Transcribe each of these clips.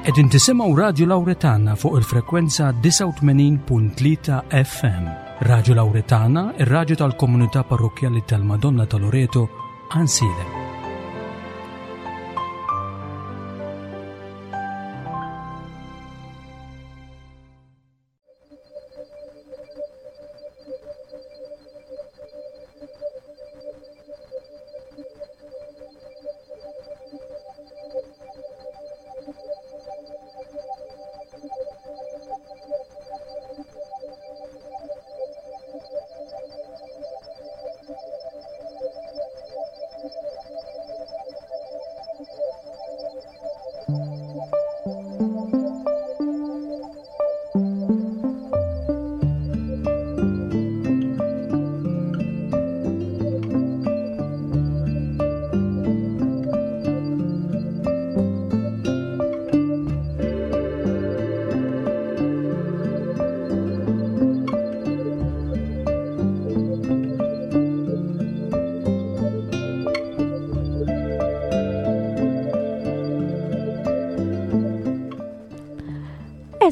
Qegħdin tisimgħu Radju Lawretana fuq il-frekwenza 89.3 FM. Radju Lawretana, ir-radju tal-komunità parrokkjali tal-Madonna ta' Loreto, Ansiedem.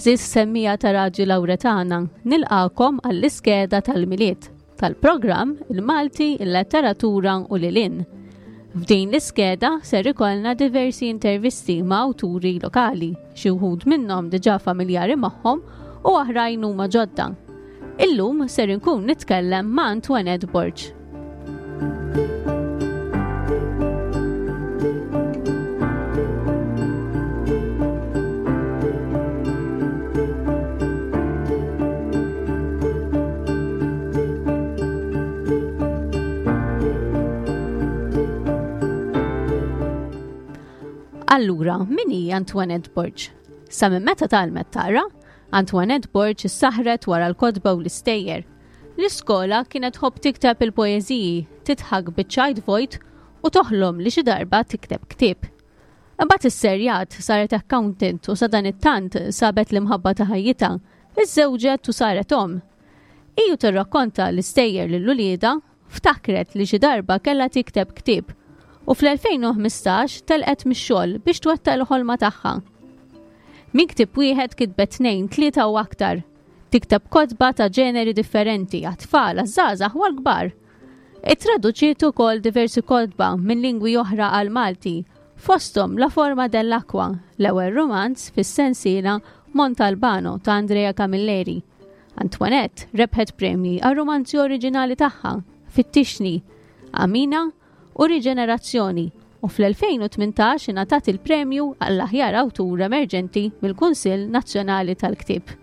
Eżis semmija ta' Raġi Lawretana, nilqakom għall-iskeda tal-Milied, tal-programm Il-Malti, il-Letteratura u Lilin. F'din l-iskeda ser ikollna diversi intervisti ma' awturi lokali, xi wħud minnhom diġà familjari magħhom u oħrajn huma ġodda. Illum ser inkun nitkellem ma' Antoinette Borg. Allura, min hi Antoinette Borg? Sa minn meta tgħallmet taqra, Antoinette Borg issaħret wara l-kotba u l-istejjer. L-iskola kienet tħobb tikteb il-poeżiji, tidħak biċ-ċajt vojt u toħlom li xi darba tikteb ktieb. Imbagħad isserjat, saret accountant u sadanittant sabet l-imħabba ta' ħajjitha, iżżewġet u saret omm. Hi u tirrakkonta l-istejjer lil uliedha, ftakret li xi darba kellha tikteb ktieb u fl-2015 telqet mix-xogħol biex twettaq il-ħolma tagħha. Minn ktieb wieħed kitbet tnejn, tlieta u aktar. Tikteb kotba ta' ġeneri differenti għat-tfal, għaż-żgħażagħ u għall-kbar. Ittraduċiet ukoll diversi kotba minn lingwi oħra għall-Malti, fosthom La forma dell'acqua, l-ewwel rumanz fis-sensiela Montalbano ta' Andrea Camilleri. Antoinette rebħet premji għar-rumanzi oriġinali tagħha, Fittixni, Amina u Riġenerazzjoni u fl-2018 ingħatat il-premju għall-aħjar awtur emerġenti mill-Kunsill Nazzjonali tal-Ktieb.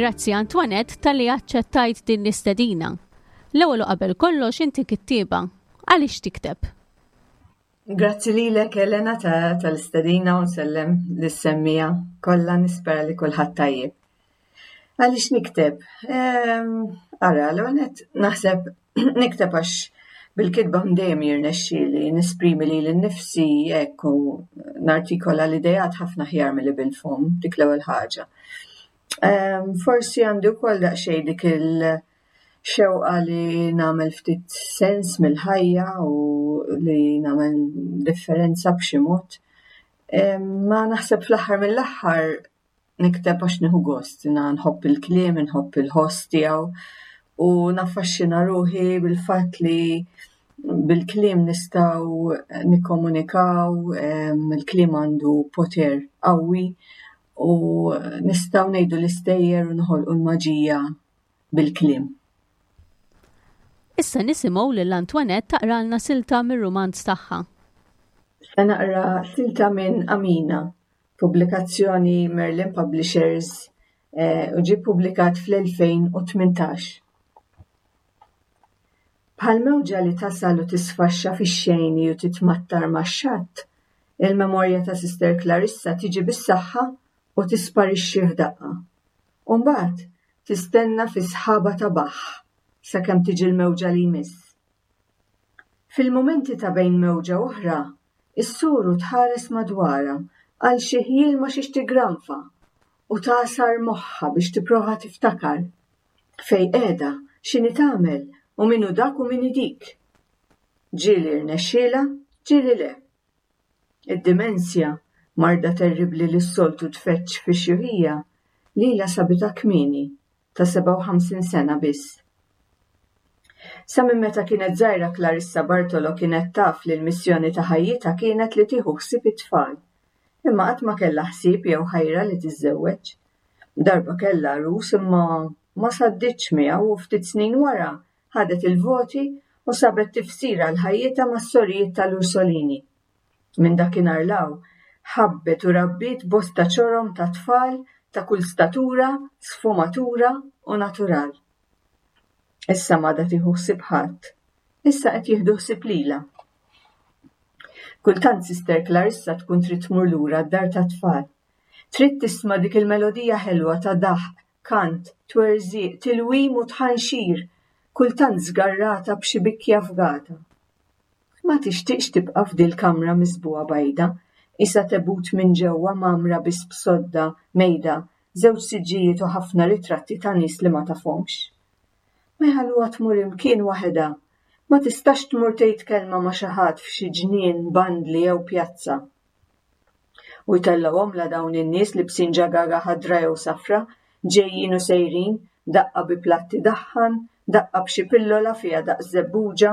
Grazzi Antoinette talli aċċettajt din l-istedina. L-ewwel u qabel kollox inti kittieba. Għaliex tikteb? Grazzi lilek Elena tal-istedina u nsellem lis-semmiegħa kollha nispera li kulħadd tajjeb. Għaliex nikteb? Ehm, ara, l-ewwel nett naħseb nikteb għax bil-kitba dejjem jirnexxieli nesprimi lili nnifsi hekk u nartikola l-ideat ħafna aħjar milli bil-fomm, dik l-ewwel ħaġa. Ehm, forsi għandi wkoll daqsxejn dik il-xewqa li nagħmel ftit sens mill-ħajja u li nagħmel differenza b'xi mod. Ehm, ma naħseb fl-aħħar mill-aħħar nikteb għax nieħu gost, jiena nħobb il-kliem, inħobb il-ħoss tiegħu u naffaxxina ruħi bil-fatt li bil-kliem nistgħu nikkomunikaw, ehm, il-kliem għandu poter qawwi u nistgħu ngħidu l-istejjer u noħolqu l-maġija bil-kliem. Issa nisimgħu lil Antoinette taqralna silta mir-rumanz tagħha. Se naqra silta minn Amina, pubblikazzjoni Merlin Publishers eh, u ġie ppubblikat fl-2018. Bħal mewġa li tasal u tisfaxxa fix-xejn u titmattar max-xatt, il-memorja ta' Sister Clarissa tiġi bis-saħħa u tisparixxi f'daqqa. U mbagħad tistenna fi sħaba ta' baħħ sakemm tiġi l-mewġa li jmiss. Fil-mumenti ta' bejn mewġa u oħra, is-soru tħares madwarha għal xi ħjiel ma' xiex tiggranfa u tagħsar moħħha biex tipprova tiftakar. Fejn qiegħda, x'inhi tagħmel u min hu dak u min hi dik. Ġieli rnexxielha, ġieli le. Id-dimensja, marda terribbli li s-soltu tfeġġ fix-xjuħija, lilha sabitha kmieni, ta' 57 sena biss. Sa minn meta kienet żgħira Clarissa Bartolo kienet taf li l-missjoni ta' ħajjitha kienet li tieħu ħsieb it-tfal. Imma qatt ma kellha ħsieb jew ħajra li tiżżewweġ. Darba kellha għarus imma ma sadditx miegħu u ftit snin wara ħadet il-voti u sabet tifsir għal ħajjitha mas-sorijiet tal-Ursolini. Minn dakinhar 'l hawn, ħabbet u rabbiet bosta ċorom ta' tfal ta' kull statura, sfumatura u natural. Issa m'għadha tieħu ħsieb ħadd. Issa qed jieħdu ħsieb lilha. Kultant Sister Clarissa tkun trid tmur lura d-dar tat-tfal. Trid tisma' dik il-melodija ħelwa ta' daħq, kant, twerżiq, tilwim u tħanxir, kultant żgarrata b'xi bikja fgata. Ma tixtieqx tibqa' f'dil-kamra miżbugħa bajda, qisha tebut minn ġewwa mgħammra biss b'sodda, mejda, żewġ siġġijiet u ħafna ritratti ta' nies li ma tafhomx. Ma jħalluha tmur imkien waħedha. Ma tistax tmur tgħid kelma ma' xi ħadd f'xi ġnien, bandli jew pjazza. U jtellgħuhomlha dawn in-nies libsin ġagaga ħadra jew safra, ġejjin u sejrin, daqqa bi platt idaħħan, daqqa b'xi pillola fiha daqs żebbuġa,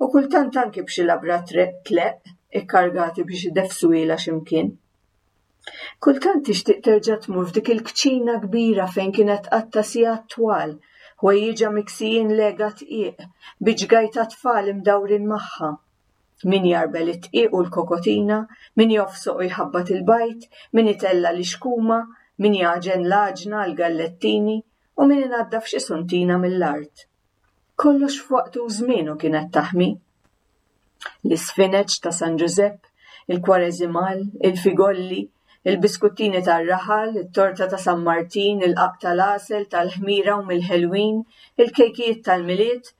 u kultant anki b'xi labra tleqq ikkargati biex ideffsuhielha xi mkien. Kultant tixtieq terġa' tmur f'dik il-kċina kbira fejn kienet tqatta' sigħat twal, ħwejjiġha miksijin lega dqiq, bi ġgajta tfal imdawrin magħha. Min jgħarbel id-dqiq u l-kokotina, min jofsoq u jħabbat il-bajd, min itella' l-ixkuma, min jagħġen l-għaġna għall-gallettini u min inaddaf xi suntina mill-art. Kollox f'waqtu u żmienu kienet taħmi. L-isfineċ ta' San Ġużepp, il-kwareżimal, il-figolli, il-biskuttini tar-raħal, it-torta ta' San Martin, il-qagħaq tal-għasel, tal-ħmira u mill-ħelwin, il-kejkijiet tal-Milied,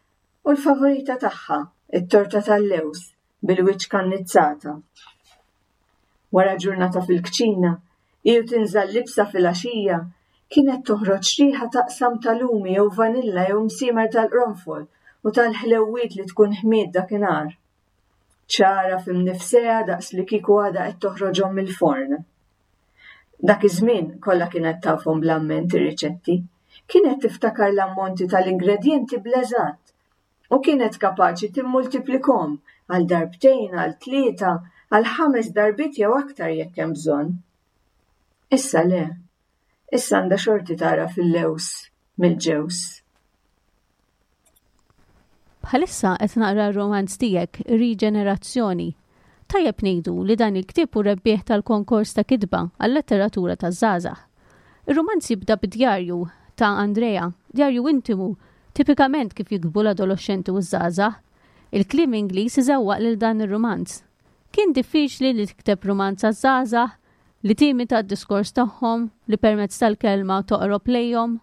u l-favorita tagħha, it-torta tal-lewż, bil-wiċċ kannizzata. Wara ġurnata fil-kċina, hi u tinża' l-libsa filgħaxija, kienet toħroġ riħa taqsam ta' lumi jew vanilla jew msiemer tal-qronfol u tal-ħlewwiet li tkun ħmiet dakinhar. Ċara f'imnifsejha daqs li kieku għadha qed toħroġhom mill-forn. Dak iż-żmien kollha kienet tafhom bl-amment ir-riċetti. Kienet tiftakar l-ammonti tal-ingredjenti bl-eżatt u kienet kapaċi timmultiplikhom għal darbtejn, għal tlieta, għal ħames darbiet jew aktar jekk hemm bżonn. Issa le. Issa għandha xorti tagħraf il-lewż mill-ġewż. Bħalissa qed naqra r-romanz tiegħek Riġenerazzjoni. Tajjeb ngħidu li dan il-ktieb hu rebbieħ tal-konkors ta' kitba għal-letteratura taż-żgħażagħ. Ir-rumanz jibda bid-djarju ta' Andrea, djarju intimu, tipikament kif jiktbu l-adoloxxenti u ż-żgħażagħ. Il-kliem Ingliż iżewwaq lil dan ir-rumanz. Kien diffiċli li tikteb rumanz għaż-żgħażagħ, li timita d-diskors tagħhom, li permezz tal-kelma toqrob lejhom?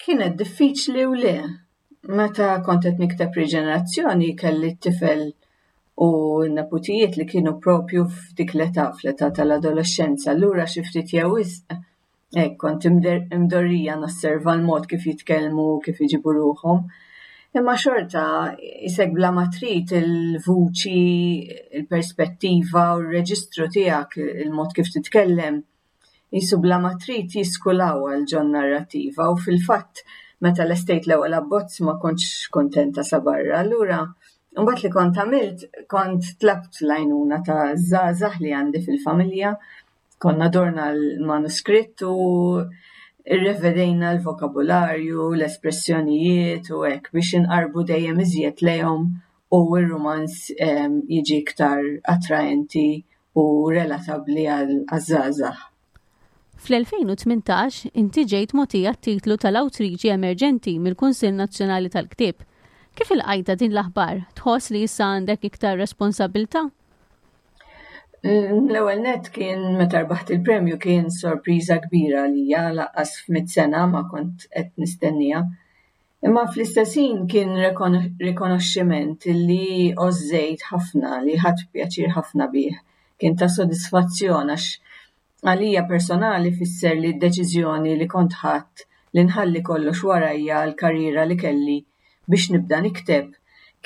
Kienet diffiċli u le. Meta kont qed nikteb Riġenerazzjoni kelli t-tifel u n-neputijiet li kienu propju f'dik l-età, fl-età tal-adolexxenza. Allura xi ftit jew wisq hekk kont imdorrija nosserva l-mod kif jitkellmu, kif iġibu ruħhom. Imma xorta isek bla ma trid il-vuċi, il-perspettiva u r-reġistru tiegħek, il-mod kif titkellem, qisu bla ma trid jiskulaw għal ġon-narrattiva u fil-fatt meta lestejt l-ewwel abbozz ma kontx kuntenta sa barra. Allura mbagħad li kont għamilt kont tlabt l-għajnuna ta' żgħażagħ li għandi fil-familja, konna dorna l-manuskritt u rrevedejna l-vokabularju, l-espressjonijiet u hekk biex inqarrbu dejjem iżjed lejhom u r-rumanz ehm, jiġi iktar attraenti u relatabbli għaż-żgħażagħ. Fl-2018 inti ġejt mogħtija t-titlu tal-Awtriċi Emerġenti mill-Kunsill Nazzjonali tal-Ktieb. Kif ilqajtha din l-aħbar? Tħoss li issa għandek iktar responsabbiltà? L-ewwel nett kien meta rbaħt il-premju kien sorpriża kbira għalija lanqas f'mitt sena ma kont qed nistenniha. Imma fl-istess ħin kien rikonoxximent li għożżejt ħafna, li ħadt pjaċir ħafna bih. Kien ta' sodisfazzjon għax għalija personali fisser li d-deċiżjoni li kont ħadt li nħalli kollox warajja l-karriera li kelli biex nibda nikteb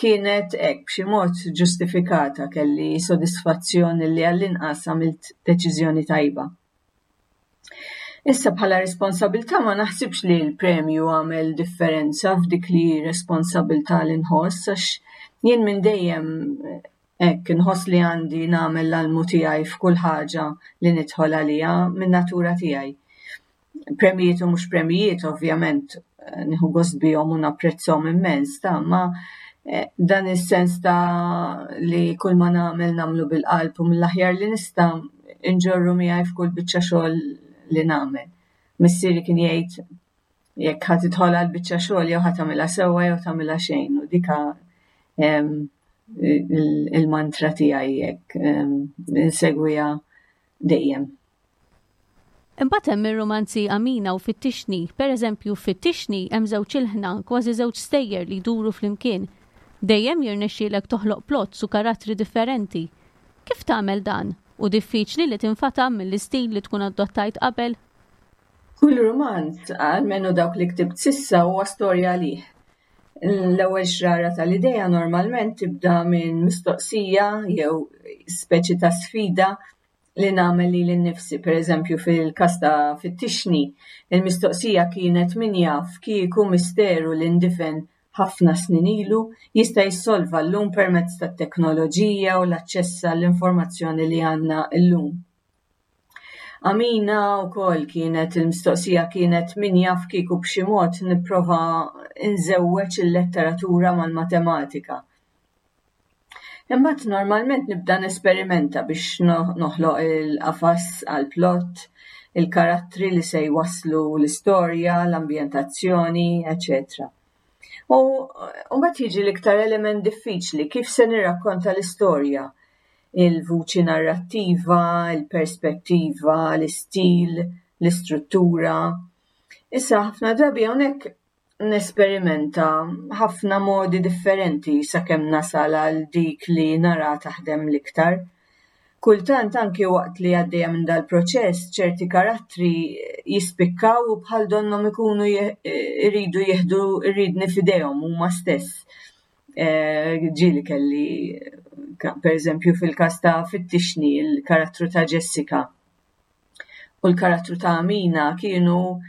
kienet hekk b'xi mod ġustifikata, kelli sodisfazzjon li għall-inqas għamilt deċiżjoni tajba. Issa bħala responsabilità ma naħsibx li l-premju għamel differenza f'dik li responsabilità li nħoss għax jien minn dejjem hekk inħoss li għandi nagħmel l-almu tiegħi f'kull ħaġa li nidħol għaliha minn natura tiegħi. Premijiet u mhux premijiet ovvjament nieħu gost bihom u napprezzhom immens ta' ma eh, dan is-sens ta' li kull ma nagħmel nagħmlu bil-qalb u mill-aħjar li nista' inġorru miegħi f'kull biċċa xogħol li nagħmel. Missieri kien jgħid jekk ħa tidħol għal biċċa xogħol jew ħa tagħmilha sewwa jew tagħmilha xejn u dika il-mantra tiegħi jekk insegwiha dejjem. Imbagħad hemm ir-rumanzi Amina u Fittixni. Pereżempju, f'Fittixni hemm żewġ ilħna, kważi żewġ stejjer li jduru flimkien. Dejjem jirnexxielek toħloq plots u karattri differenti. Kif tagħmel dan? Hu diffiċli li tinfatam mill-istil li tkun adottajt qabel? Kull rumanz, almenu dawk li ktibt s'issa, huwa storja għalih. L-ewwel xrara tal-idea normalment tibda minn mistoqsija jew speċi ta' sfida li nagħmel lili nnifsi, pereżempju fil-każ ta' Fittixni, il-mistoqsija kienet min jaf kieku misteru li ndifen ħafna snin ilu jista' jissolva llum permezz tat-teknoloġija u l-aċċess għall-informazzjoni li għandna llum. Amina wkoll kienet il-mistoqsija kienet min jaf kieku b'xi mod nipprova nżewweġ il-letteratura mal-matematika. Imbagħad normalment nibda nesperimenta biex noħloq il-qafas għall-plott, il-karattri li se jwasslu l-istorja, l-ambjentazzjoni, eċetera. U mbagħad jiġi l-iktar element diffiċli, kif se nirrakkonta l-istorja, il-vuċi narrattiva, il-perspettiva, l-istil, l-istruttura. Issa ħafna drabi hawnhekk nesperimenta ħafna modi differenti sakemm nasal għal dik li nara taħdem l-iktar. Kultant anki waqt li għaddejja minn dal-proċess ċerti karattri jispikkaw u bħal donnhom ikunu jridu jieħdu r-riedni f'idejhom huma stess. Eh, ġieli kelli per eżempju fil-każ ta' Fittixni il-karattru ta' Jessica u l-karattru ta' Amina kienu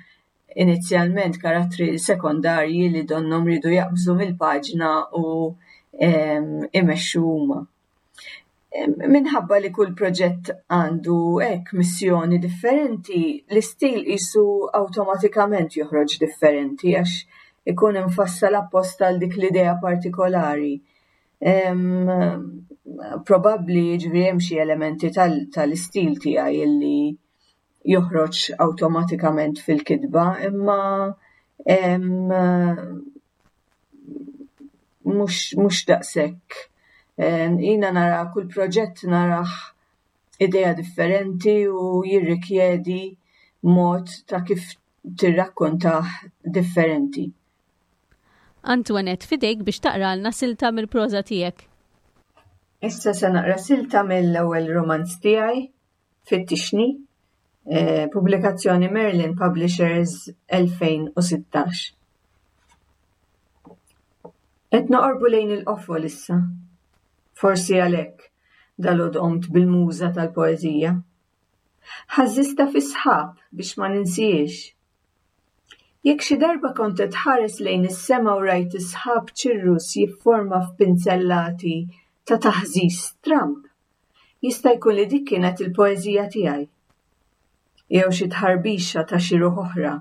inizjalment karattri sekondarji li donnhom riedu jaqbżu mill-paġna u imexxu huma. Minħabba li kull proġett għandu hekk missjoni differenti, l-istil qisu awtomatikament joħroġ differenti għax ikun imfassal apposta għal dik l-idea partikolari. Probabbli jiġifieri hemm xi elementi tal-istil tiegħi illi joħroġ awtomatikament fil-kitba, imma mhux daqshekk. Jiena nara kull proġett narah idea differenti u jirrikjedi mod ta' kif tirrakkontah differenti. Antoinette, f'idejk biex taqralna silta mill-proża tiegħek. Issa se naqra silta mill-ewwel rumanz tiegħi, Fittixni, eh, pubblikazzjoni Merlin Publishers 2016. Qed noqorbu lejn il-qofol issa. Forsi għalhekk dalgħodu qomt bil-muża tal-poeżija. Ħażżistha fis-sħab biex ma ninsihiex. Jekk xi darba kont qed tħares lejn is-sema u rajt is-sħab ċirrus jifforma f'pinzellati ta' taħżiż stramb, Jista' jkun li dik kienet il-poeżija tiegħi. Jew xi tħarbixa ta' xi ruħ oħra,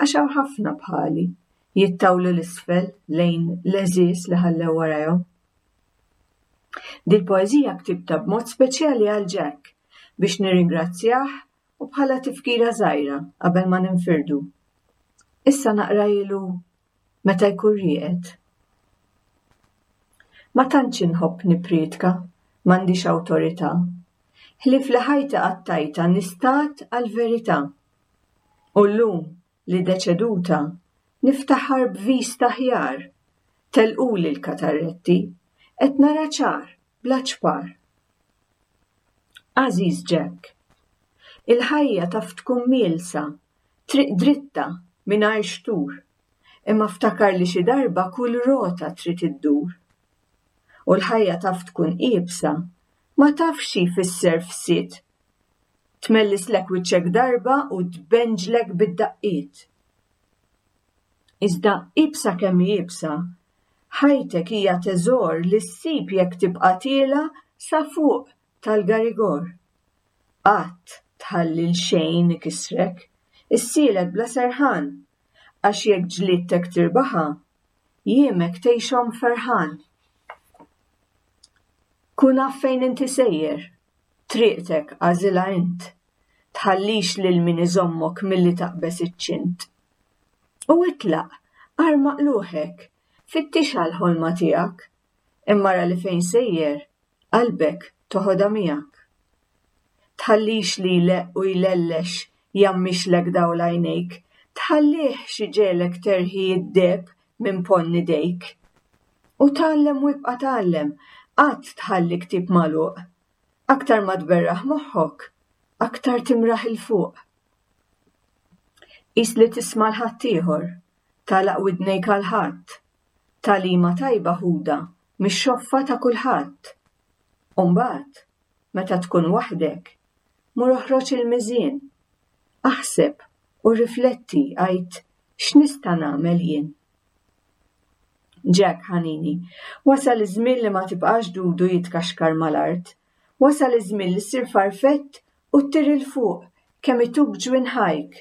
għax hawn ħafna bħali, jittawlu 'l isfel lejn l-għeżież li ħallew warajhom. Dil-poeżija ktibtha b'mod speċjali għal Jack biex nirringrazzjah u bħala tifkira żgħira qabel ma ninfirdu. Issa naqrahielu meta jkun rieqed. Ma tantx inħobb nipprietka, m'għandix awtorità. Ħlief li ħajti qattajtha nistad għall-verità. U llum li deċeduta, Niftaħar b'vista aħjar. Telquli l-katarretti. Qed nara ċar, bla ċpar. Għażiż Jack, il-ħajja taf tkun mielsa, triq dritta, mingħajr xtur. Imma ftakar li xi darba kull rota trid iddur. U l-ħajja taf tkun iebsa, ma tafx xi jfisser fsied. Tmellislek wiċċek darba u tbenġlek bid-daqqiet. Iżda iebsa kemm hi iebsa, ħajtek hija teżor li ssib jekk tibqa' tiela' sa fuq tal-garigor. Qatt tħalli 'l xejn ikissrek, issielet bla serħan, għax jekk ġliedtek tirbaħha, jiemek tgħixhom ferħan. Kun af fejn inti sejjer, triqtek agħżilha int. Tħallix lil min iżommok milli taqbeż iċ-ċint. U itlaq, arma qluħek, fittixha l-ħolma tiegħek, imma ara li fejn sejjer, qalbek toħodha miegħek. Tħallix li jleqq u jlellex jgħammixlek dawl għajnejk, tħallihx iġegħlek terħi d-deheb minn ponn idejk. U tgħallem u ibqa' tgħallem, qatt tħalli ktieb magħluq. Aktar ma tberraħ moħħok, aktar timraħ 'il fuq. Qis li tisma' 'l ħaddieħor, tagħlaq widnejk għal ħadd. Tagħlima tajba ħudha mix-xoffa ta' kulħadd. U mbagħad, meta tkun waħdek, mur oħroġ il-miżien. Aħseb u rrifletti għid x'nista' nagħmel jien. Jack, ħanini, wasal iż-żmien li ma tibqax dudu jitkaxkar mal-art. Wasal iż-żmien li ssir farfett u ttir 'il fuq kemm ituk ġwinħajk.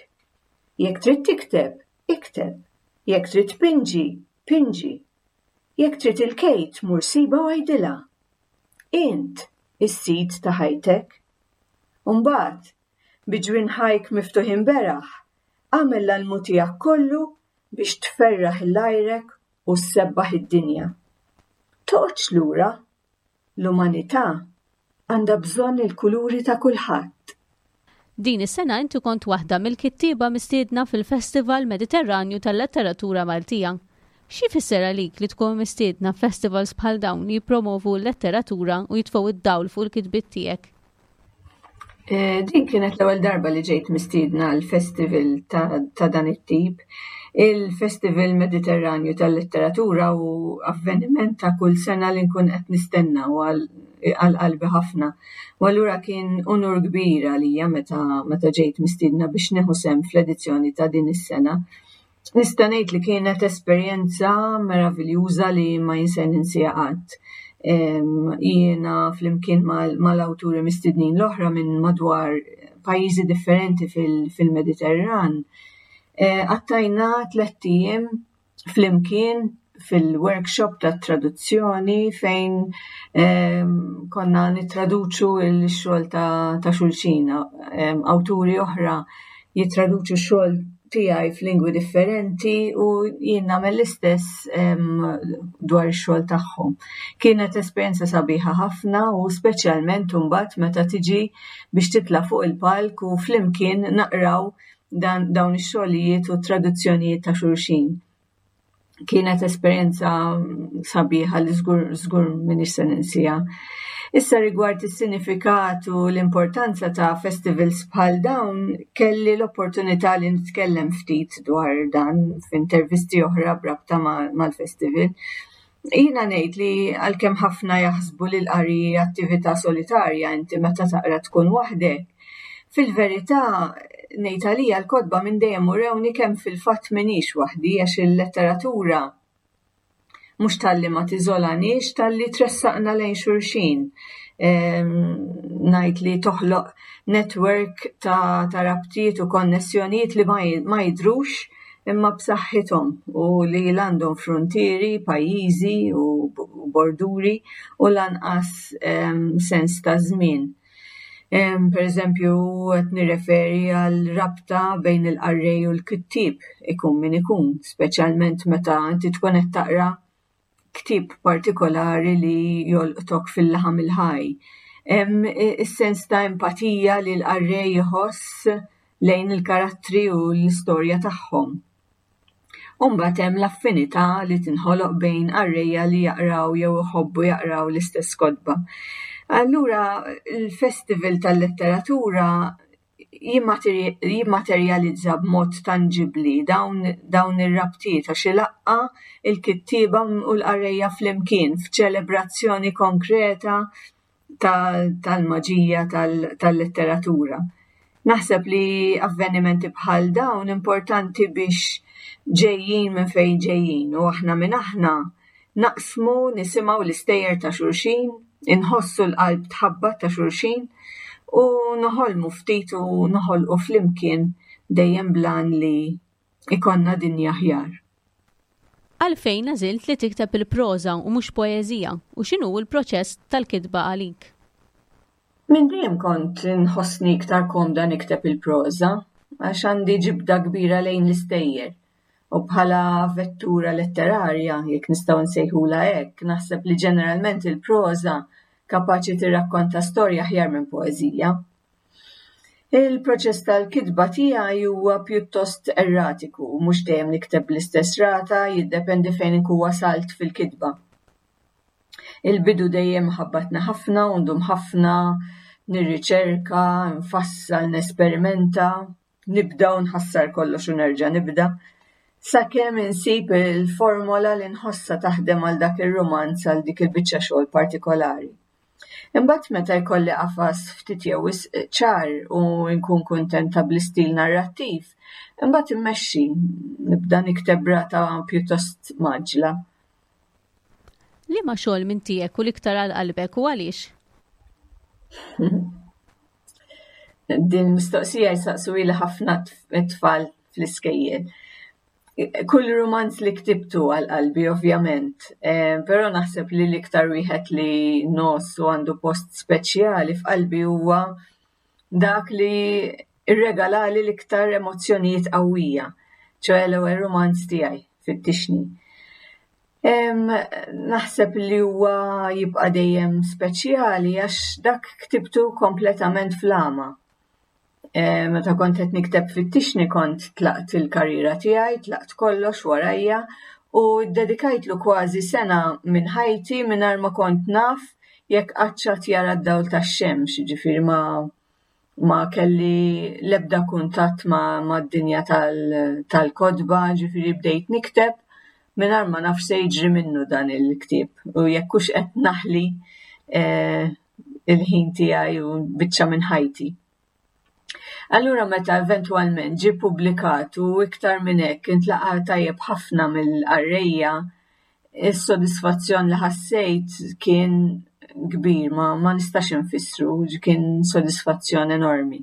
Jekk trid tikteb, ikteb. Jekk trid tpinġi, pinġi. Jekk trid il-Kate mur sibha u għidilha. Int is-sid ta' ħajtek. U mbagħad, bi ġwinħajk miftuħin beraħ, agħmel l-almu tiegħek kollu biex tferraħ 'il għajrek u ssebbaħ id-dinja. Toqgħodx lura. L-umanità għandha bżonn il-kuluri ta' kulħadd. Din is-sena inti kont waħda mill-kittieba mistiedna fil-Festival Mediterranju tal-Letteratura Maltija. Xi jfisser għalik li tkun mistiedna f'festivals bħal dawn li jippromovu l-letteratura u jitfgħu d-dawl fuq il-kitbiet tiegħek? Eh, din kienet l-ewwel darba li ġejt mistiedna għal festival ta', ta dan it-tip. Il-Festival Mediterranju tal-Letteratura u avveniment ta' kull sena li nkun qed nistenna u għal qalbi ħafna. U allura kien unur kbir għalija meta meta ġejt mistiedna biex nieħu sehem fl-edizzjoni ta' din is-sena. Nista' ngħid li kienet esperjenza meraviljuża li ma jinser ninsiha qatt. Jiena flimkien mal-awturi mistednin l-oħra minn madwar pajjiżi differenti fil-Mediterran, eh, qattajna tlett ijiem flimkien fil-workshop ta' traduzzjoni fejn konna nittraduċu l-xogħol ta' xulxin. Awturi oħra jittraduċu x-xogħol tiegħi f'lingwi differenti u jien nagħmel l-istess dwar ix-xogħol tagħhom. Kienet esperjenza sabiħa ħafna u speċjalment imbagħad meta tiġi biex titla' fuq il-palk u flimkien naqraw dawn ix-xogħlijiet u t-traduzzjonijiet ta' xulxin. Kienet esperjenza sabiħa li żgur żgur m'iniex se ninsiha. Issa rigward is-sinifikat u l-importanza ta' festivals bħal dawn, kelli l-opportunità li nitkellem ftit dwar dan f'intervisti oħra b'rabta mal-festival. Jiena ngħid li għalkemm ħafna jaħsbu li l-qari hi attività solitarja inti meta taqra tkun waħdek, fil-verità ngħid għalija l-kotba minn dejjem urewni kemm fil-fatt m'iniex waħdi għax il-letteratura mhux talli ma tiżolaniex talli tressaqna lejn xulxin. Ngħid li toħloq network ta', ta rabtiet u konnessjonijiet li ma jidhrux imma b'saħħithom u li l għandhom fruntieri, pajjiżi u borduri u lanqas sens ta' żmien. Per eżempju, qed nirreferi għal rabta bejn il-qarrej u l-kittieb, ikun min ikun, speċjalment meta inti tkun qed taqra ktieb partikolari li jolqtok fil-laħam il-ħaj. Hemm is-sens ta' empatija li l-qarrej iħoss lejn il-karattri u l-istorja tagħhom. U mbagħad hemm l-affinità li tinħoloq bejn qarrejja li jaqraw jew iħobbu jaqraw l-istess kotba. Allura l-Festival tal-Letteratura jimmaterjalizza b'mod tanġibbli dawn, dawn ir-rabtiet għax ilaqqa' il-kittieba u l-qarrejja flimkien f'ċelebrazzjoni konkreta tal-maġija tal-letteratura. Naħseb li avvenimenti bħal dawn importanti biex ġejjin minn fejn ġejjin u aħna minn aħna naqsmu nisimgħu l-istejjer ta' xulxin, inħossu l-qalb tħabbat ta' xulxin u noħolmu ftit u noħolqu flimkien dejjem blan li ikollna dinja aħjar. Għalfejn għażilt li tikteb il-proża u mhux poeżija u x'inhu l-proċess tal-kitba għalik? Minn dejjem kont inħossni iktar komda nikteb il-proża għax għandi ġibda kbira lejn l-istejjer u bħala vettura letterarja, jekk nistgħu nsejħulha hekk, naħseb li ġeneralment il-proża kapaċi tirrakkonta storja aħjar minn poeżija. Il-proċess tal-kitba tiegħi huwa pjuttost erratiku, mhux dejjem nikteb bl-istess rata, jiddependi fejn inkun wasalt fil-kitba. Il-bidu dejjem ħabbatni ħafna u ndum ħafna nirriċerka, nfassal, nesperimenta, nibda u nħassar kollox u nerġa' nibda, sakemm insib il-formola li nħossha taħdem għal dak ir-rumanz għal dik il-biċċa xogħol partikolari. Imbagħad meta jkolli qafas ftit jew wisq ċar u nkun kuntenta bl-istil narrattiv, imbagħad immexxi, nibda nikteb b'rata pjuttost mgħaġġla. Liema xogħol minn tiegħek u l-iktar għal qalbek u għaliex? Din mistoqsija jsaqsuhieli ħafna tfal fl-iskejjel. Kull rumanz li ktibtu għal qalbi ovvjament, eh, però naħseb li l-iktar wieħed li nos u għandu post speċjali f'qalbi huwa dak li irregalali l-iktar emozzjonijiet qawwija, ċoe l-ewwel rumanz tiegħi, Fittixni. Naħseb li huwa jibqa' dejjem speċjali għax dak ktibtu kompletament fl-għama. Eh, meta kont qed nikteb fittixni kont tlaqt il-karriera tiegħi, tlaqt kollox warajja u ddedikajtlu kważi sena minn ħajti mingħajr ma kont naf jekk qatt jara d-dawl tax-xemx, ġifieri ma ma kelli l-ebda kuntatt ma mad-dinja tal-kotba, ġifieri bdejt nikteb mingħajr ma naf se jiġri minnu dan il-ktieb u jekk hux qed naħli eh, il-ħin tiegħi u biċċa minn ħajti. Allura meta eventwalment ġie ppubblikat u iktar minn hekk intlaqa' tajjeb ħafna mill-qarrejja, is-sodisfazzjon li ħassejt kien kbir, ma, ma nistax infissru, kien sodisfazzjon enormi.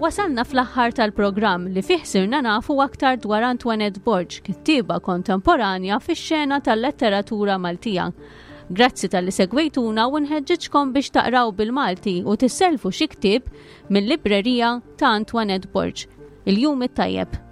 Wasalna fl-aħħar tal-programm li fih sirna nafu aktar dwar Antoinette Borg, kittieba kontemporanja fix-xena tal-letteratura Maltija. Grazzi talli segwejtuna u nħeġġiġkom biex taqraw bil-Malti u tisselfu xi ktieb mill-librerija ta' Antoinette Borg. Il-jum it-tajjeb.